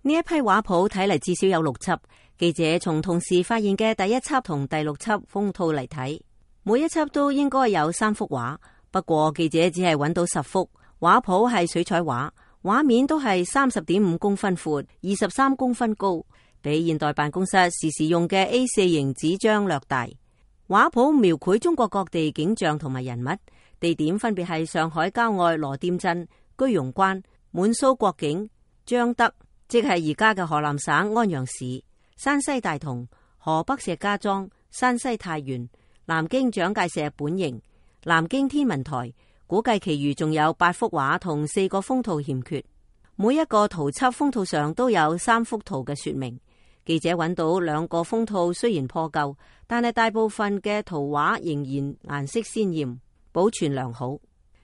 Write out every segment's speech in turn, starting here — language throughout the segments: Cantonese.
呢一批畫譜睇嚟至少有6輯，記者從同時發現嘅第1輯同第6輯封套嚟睇，每一輯都應該有3幅畫，不過記者只係揾到10幅。畫譜係水彩畫，畫面都係30.5公分闊、23公分高，比現代辦公室時時用嘅 A4 型紙張略大。畫譜描繪中國各地景象同埋人物，地點分別係上海郊外羅店鎮、居庸關、滿蘇國境、張德，即係而家嘅河南省安陽市、山西大同、河北石家莊、山西太原、南京蔣介石本營、南京天文台，估計其餘仲有8幅畫同4個封套欠缺。每一個圖輯封套上都有3幅圖嘅說明。記者揾到2個封套，雖然破舊，但係大部分嘅圖畫仍然顏色鮮艷，保存良好。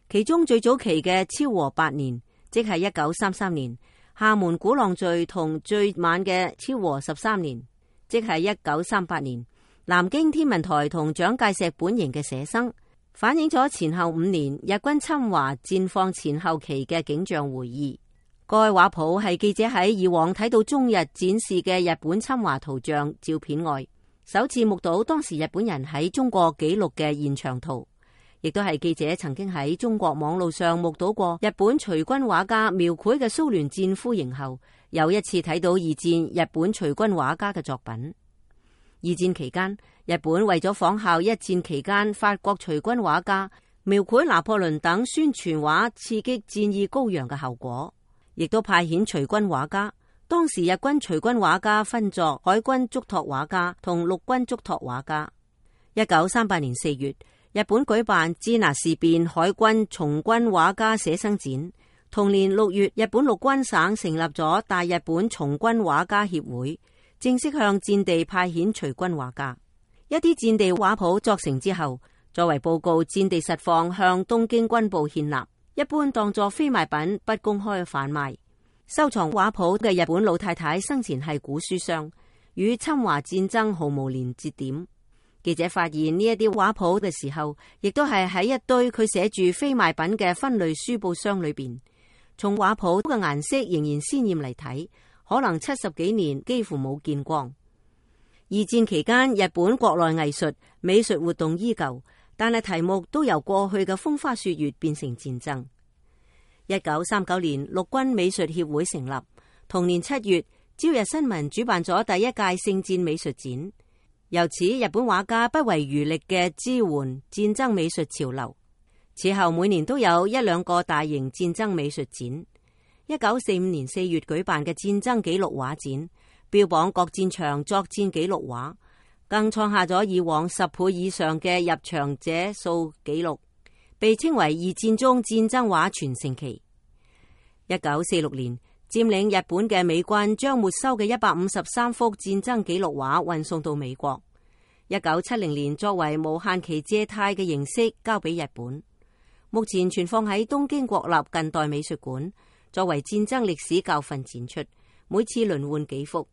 其中最早期嘅昭和8年，即係1933年，廈門鼓浪嶼同最晚嘅昭和13年，即係1938年，南京天文台同蔣介石本營嘅寫生，反映咗前後5年日軍侵華戰況前後期嘅景象回憶。該畫譜係記者喺以往睇到中日展示嘅日本侵華圖像照片外，首次目睹當時日本人喺中國記錄嘅現場圖，亦都係記者曾經喺中國網路上目睹過日本隨軍畫家描繪嘅蘇聯戰俘營後，又一次睇到二戰日本隨軍畫家嘅作品。二戰期間，日本為咗仿效一戰期間法國隨軍畫家描繪拿破崙等宣傳畫，刺激戰意高揚嘅後果，亦都派遣隨軍畫家。當時日軍隨軍畫家分作海軍囑託畫家同陸軍囑託畫家。1938年4月，日本舉辦支那事變海軍從軍畫家寫生展。同年6月，日本陸軍省成立咗大日本從軍畫家協會，正式向戰地派遣隨軍畫家。一啲戰地畫譜作成之後，作為報告戰地實況向東京軍部獻納，一般當作非賣品，不公開販賣。收藏畫譜嘅日本老太太生前係古書商，與侵華戰爭毫無連接點。記者發現呢一啲畫譜嘅時候，亦都係喺一堆佢寫住非賣品嘅分類書報箱裏邊。從畫譜嘅顏色仍然鮮艷嚟睇，可能70幾年幾乎冇見光。二戰期間，日本國內藝術美術活動依舊，但係題目都由過去嘅風花雪月變成戰爭。1939年，陸軍美術協會成立。同年7月，朝日新聞主辦咗第1屆聖戰美術展。由此，日本畫家不遺餘力嘅支援戰爭美術潮流。此後每年都有1-2個大型戰爭美術展。1945年4月舉辦嘅戰爭紀錄畫展，標榜各戰場作戰紀錄畫，更創下咗以往10倍以上嘅入場者數紀錄，被稱為二戰中戰爭畫全盛期。1946年，佔領日本嘅美軍將沒收嘅153幅戰爭紀錄畫運送到美國。1970年，作為無限期借貸嘅形式交俾日本，目前存放喺東京國立近代美術館，作為戰爭歷史教訓展出，每次輪換幾幅。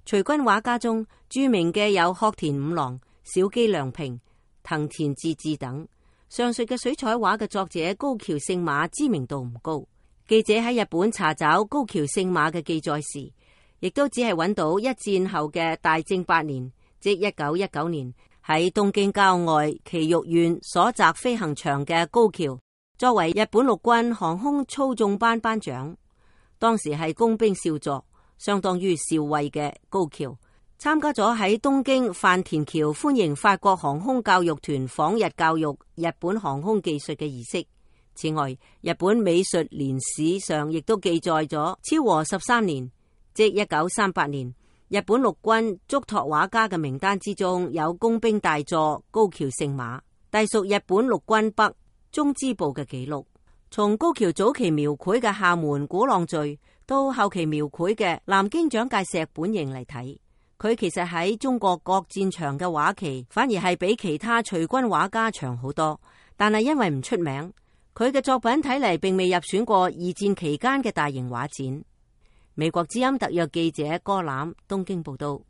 隨軍畫家中著名嘅有鶴田五郎、小磯良平、藤田治治等。上述嘅水彩畫嘅作者高橋聖馬知名度唔高，記者喺日本查找高橋聖馬嘅記載時，亦都只係揾到一戰後嘅大正8年，即1919年喺東京郊外埼玉縣所澤飛行場嘅高橋，作為日本陸軍航空操縱班班長，當時係工兵少佐，相當於少尉嘅高橋，參加咗喺東京飯田橋歡迎法國航空教育團訪日教育日本航空技術嘅儀式。此外，日本美術年史上亦都記載咗昭和13年，即1938年，日本陸軍囑託畫家嘅名單之中有工兵大佐高橋聖馬，隸屬日本陸軍北中支部嘅記錄。從高橋早期描繪嘅廈門鼓浪嶼到後期描繪嘅南京蔣介石本營嚟睇，佢其實喺中國各戰場嘅畫期反而係比其他隨軍畫家長好多，但係因為唔出名，佢嘅作品睇嚟並未入選過二戰期間嘅大型畫展。美國之音特約記者柯欖東京報道。